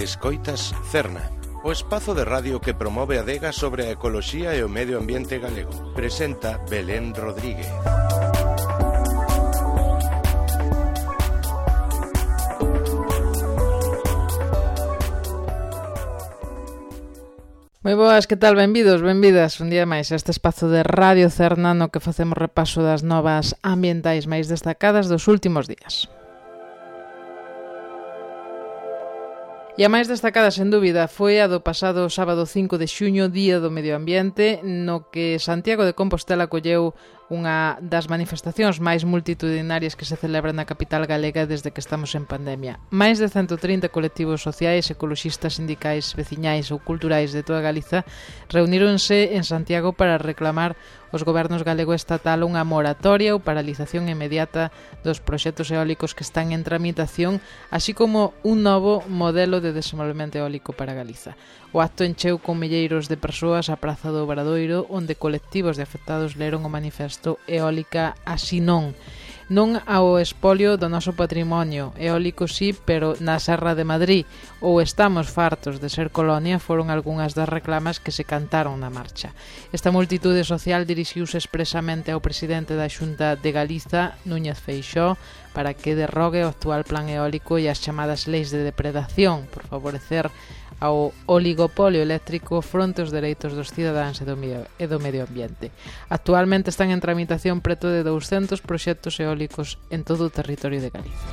Escoitas Cerna, o espazo de radio que promove a adega sobre a ecoloxía e o medio ambiente galego. Presenta Belén Rodríguez. Moi boas, que tal? Benvidos, benvidas un día máis a este espazo de Radio Cerna no que facemos repaso das novas ambientais máis destacadas dos últimos días. E a máis destacada, sen dúbida, foi a do pasado sábado 5 de xuño, Día do Medio Ambiente, no que Santiago de Compostela colleu unha das manifestacións máis multitudinarias que se celebra na capital galega desde que estamos en pandemia. Máis de 130 colectivos sociais, ecoloxistas, sindicais, veciñais ou culturais de toda Galiza reuníronse en Santiago para reclamar os gobernos galego e estatal unha moratoria ou paralización inmediata dos proxectos eólicos que están en tramitación, así como un novo modelo de desenvolvemento eólico para Galiza. O acto encheu con milleiros de persoas a Praza do Obradoiro, onde colectivos de afectados leron o manifesto Eólica así non. Non ao espolio do noso patrimonio eólico sí, pero na Serra de Madrid, ou estamos fartos de ser colonia, foron algunhas das reclamas que se cantaron na marcha. Esta multitude social dirixiuse expresamente ao presidente da Xunta de Galiza, Núñez Feixóo, para que derrogue o actual plan eólico e as chamadas leis de depredación por favorecer ao oligopolio eléctrico fronte aos dereitos dos cidadáns e do medio ambiente. Actualmente están en tramitación preto de 200 proxectos eólicos en todo o territorio de Galicia.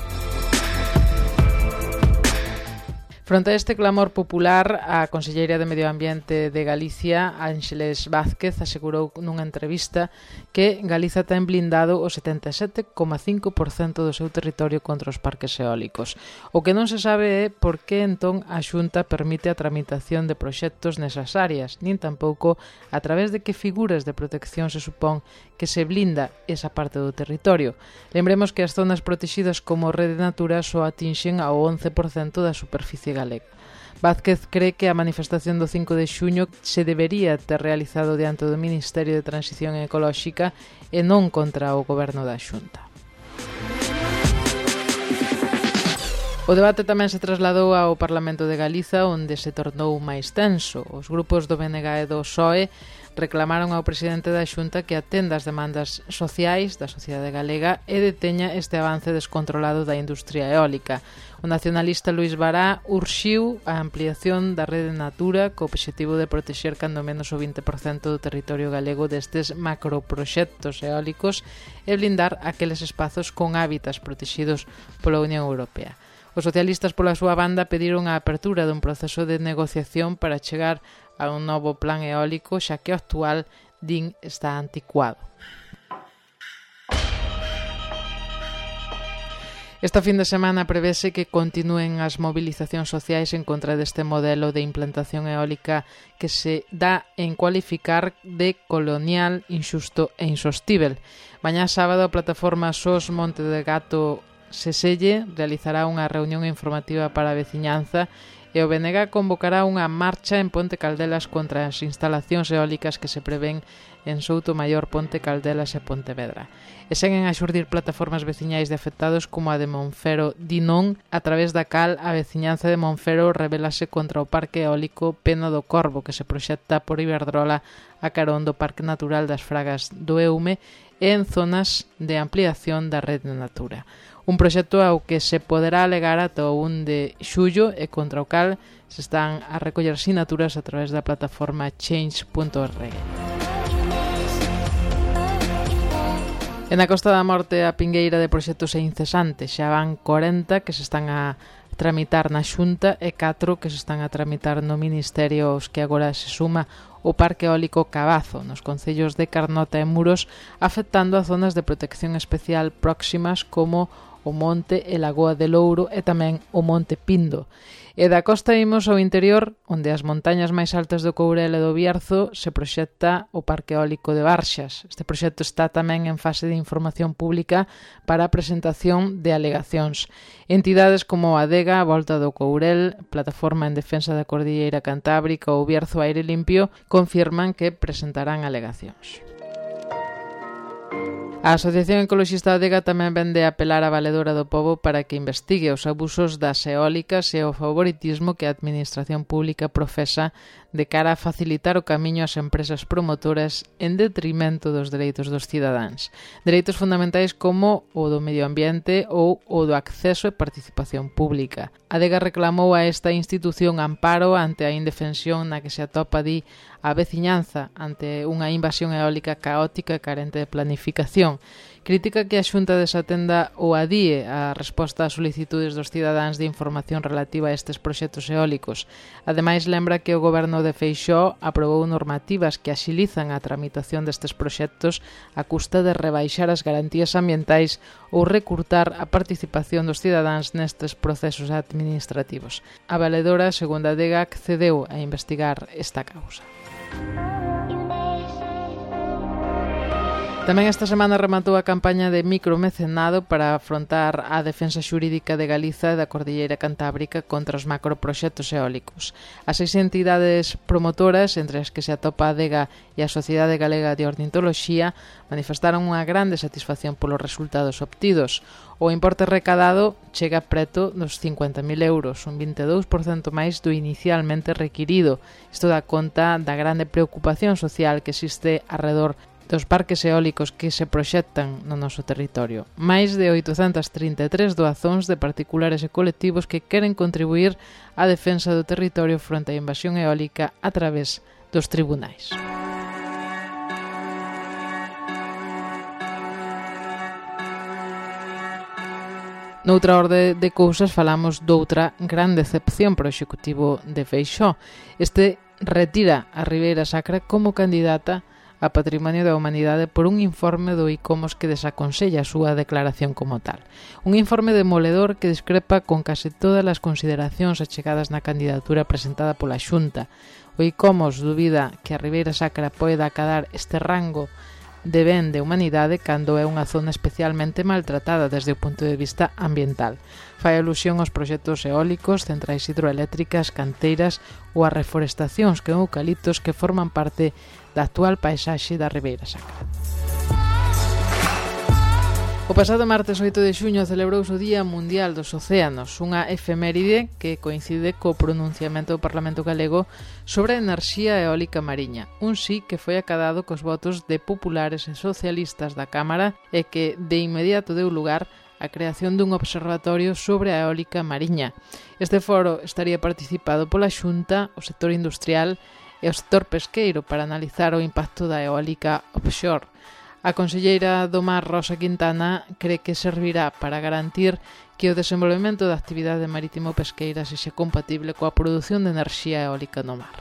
Fronte a este clamor popular, a conselleira de Medio Ambiente de Galicia, Ángeles Vázquez, asegurou nunha entrevista que Galiza ten blindado o 77,5% do seu territorio contra os parques eólicos. O que non se sabe é por que entón a Xunta permite a tramitación de proxectos nesas áreas, nin tampouco a través de que figuras de protección se supón que se blinda esa parte do territorio. Lembremos que as zonas protegidas como Rede Natura só atinxen ao 11% da superficie galega. Vázquez cree que a manifestación do 5 de xuño se debería ter realizado diante do Ministerio de Transición Ecolóxica e non contra o goberno da Xunta. O debate tamén se trasladou ao Parlamento de Galiza, onde se tornou máis tenso. Os grupos do BNG e do PSOE reclamaron ao presidente da Xunta que atenda as demandas sociais da sociedade galega e deteña este avance descontrolado da industria eólica. O nacionalista Luís Bará urxiu a ampliación da Rede Natura co obxectivo de protexer cando menos o 20% do territorio galego destes macroproxectos eólicos e blindar aqueles espazos con hábitats protegidos pola Unión Europea. Os socialistas, pola súa banda, pediron a apertura dun proceso de negociación para chegar a un novo plan eólico, xa que o actual, din, está anticuado. Esta fin de semana prevese que continúen as movilizacións sociais en contra deste modelo de implantación eólica que se dá en cualificar de colonial, inxusto e insostíbel. Mañá sábado a plataforma SOS Monte de Gato Seselle realizará unha reunión informativa para a veciñanza e o BNG convocará unha marcha en Ponte Caldelas contra as instalacións eólicas que se prevén en Soutomaior, Ponte Caldelas e Pontevedra. E seguen a xurdir plataformas veciñais de afectados como a de Monfero Dinón, a través da cal a veciñanza de Monfero rebelase contra o parque eólico Pena do Corvo que se proxecta por Iberdrola a carón do Parque Natural das Fragas do Eume e en zonas de ampliación da Rede Natura. Un proxecto ao que se poderá alegar ata o 1 de xullo e contra o cal se están a recoller sinaturas a través da plataforma change.org. E na Costa da Morte a pingueira de proxectos é incesante. Xa van 40 que se están a tramitar na Xunta e 4 que se están a tramitar no Ministerio, aos que agora se suma o Parque Eólico Cabazo, nos concellos de Carnota e Muros, afectando a zonas de protección especial próximas como o Monte e Lagoa de Louro e tamén o Monte Pindo. E da costa imos ao interior, onde as montañas máis altas do Courel e do Bierzo se proxecta o Parque Eólico de Barxas. Este proxecto está tamén en fase de información pública para a presentación de alegacións. Entidades como a Adega, a Volta do Courel, Plataforma en Defensa da Cordilleira Cantábrica ou Bierzo Aire Limpio confirman que presentarán alegacións. A Asociación Ecoloxista Adega tamén vende a apelar á Valedora do Pobo para que investigue os abusos das eólicas e o favoritismo que a Administración Pública profesa de cara a facilitar o camiño ás empresas promotoras en detrimento dos dereitos dos cidadáns. Dereitos fundamentais como o do medio ambiente ou o do acceso e participación pública. Adega reclamou a esta institución amparo ante a indefensión na que se atopa, di, a veciñanza ante unha invasión eólica caótica e carente de planificación. Critica que a Xunta desatenda ou adíe a resposta ás solicitudes dos cidadáns de información relativa a estes proxectos eólicos. Ademais, lembra que o goberno de Feixóo aprobou normativas que axilizan a tramitación destes proxectos a custa de rebaixar as garantías ambientais ou recurtar a participación dos cidadáns nestes procesos administrativos. A Valedora, segundo a Adega, accedeu a investigar esta causa. Tamén esta semana rematou a campaña de micromecenado para afrontar a defensa xurídica de Galiza e da Cordilleira Cantábrica contra os macroproxectos eólicos. As 6 entidades promotoras, entre as que se atopa a Adega e a Sociedade Galega de Ornitoloxía, manifestaron unha grande satisfacción polos resultados obtidos. O importe recadado chega preto dos 50.000 euros, un 22% máis do inicialmente requirido. Isto dá conta da grande preocupación social que existe arredor dos parques eólicos que se proxectan no noso territorio. Máis de 833 doazóns de particulares e colectivos que queren contribuir á defensa do territorio fronte á invasión eólica a través dos tribunais. Noutra orde de cousas falamos doutra gran decepción para o Executivo de Feixóo. Este retira a Ribeira Sacra como candidata a Patrimonio da Humanidade por un informe do ICOMOS que desaconsella a súa declaración como tal. Un informe demoledor que discrepa con case todas as consideracións achegadas na candidatura presentada pola Xunta. O ICOMOS dubida que a Ribeira Sacra poida acadar este rango de ben de humanidade cando é unha zona especialmente maltratada desde o punto de vista ambiental. Fai alusión aos proxectos eólicos, centrais hidroeléctricas, canteiras ou a reforestacións que eucaliptos que forman parte da actual paisaxe da Ribeira Sacra. O pasado martes 8 de xuño celebrouse o Día Mundial dos Océanos, unha efeméride que coincide co pronunciamento do Parlamento Galego sobre a enerxía eólica mariña, un sí que foi acadado cos votos de populares e socialistas da Cámara e que de inmediato deu lugar a creación dun observatorio sobre a eólica mariña. Este foro estaría participado pola Xunta, o sector industrial e o sector pesqueiro para analizar o impacto da eólica offshore. A conselleira do Mar, Rosa Quintana, cree que servirá para garantir que o desenvolvemento da actividade marítimo-pesqueira sexa compatible coa produción de enerxía eólica no mar.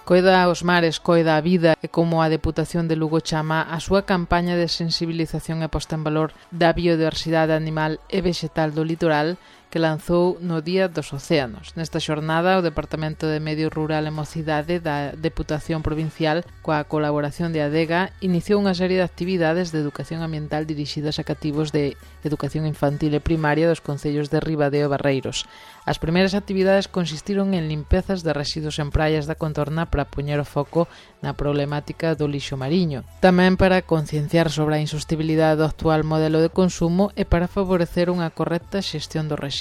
Coida aos mares, coida a vida e como a Deputación de Lugo chama a súa campaña de sensibilización e posta en valor da biodiversidade animal e vexetal do litoral que lanzou no Día dos Océanos. Nesta xornada, o Departamento de Medio Rural e Mocidade da Deputación Provincial, coa colaboración de Adega, iniciou unha serie de actividades de educación ambiental dirixidas a cativos de educación infantil e primaria dos concellos de Ribadeo e Barreiros. As primeiras actividades consistiron en limpezas de residuos en praias da contorna para poñer o foco na problemática do lixo mariño. Tamén para concienciar sobre a insostibilidade do actual modelo de consumo e para favorecer unha correcta xestión dos residuos.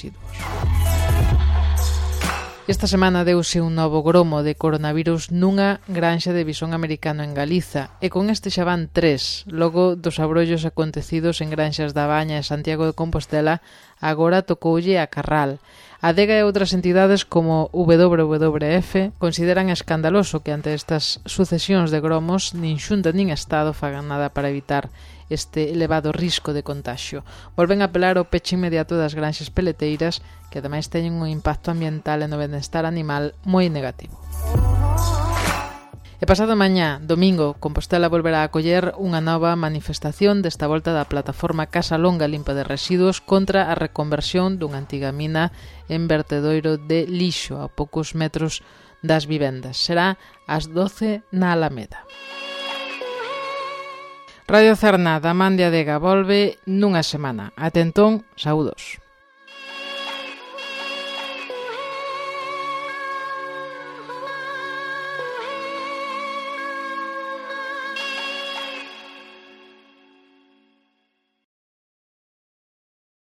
Esta semana deuse un novo gromo de coronavirus nunha granxa de visón americano en Galiza e con este xa van 3. Logo dos abrollos acontecidos en granxas da Baña e Santiago de Compostela, agora tocoulle a Carral. A Adega e outras entidades como WWF consideran escandaloso que ante estas sucesións de gromos nin Xunta nin Estado fagan nada para evitar este elevado risco de contagio. Volven a apelar ao peche inmediato das granxas peleteiras que ademais teñen un impacto ambiental e no benestar animal moi negativo. E pasado mañá, domingo, Compostela volverá a acoller unha nova manifestación desta volta da plataforma Casa Longa Limpa de Residuos contra a reconversión dunha antiga mina en vertedoiro de lixo a poucos metros das vivendas. Será ás 12 na Alameda. Radio Cerna da Man de Adega volve nunha semana. Até entón, saúdos.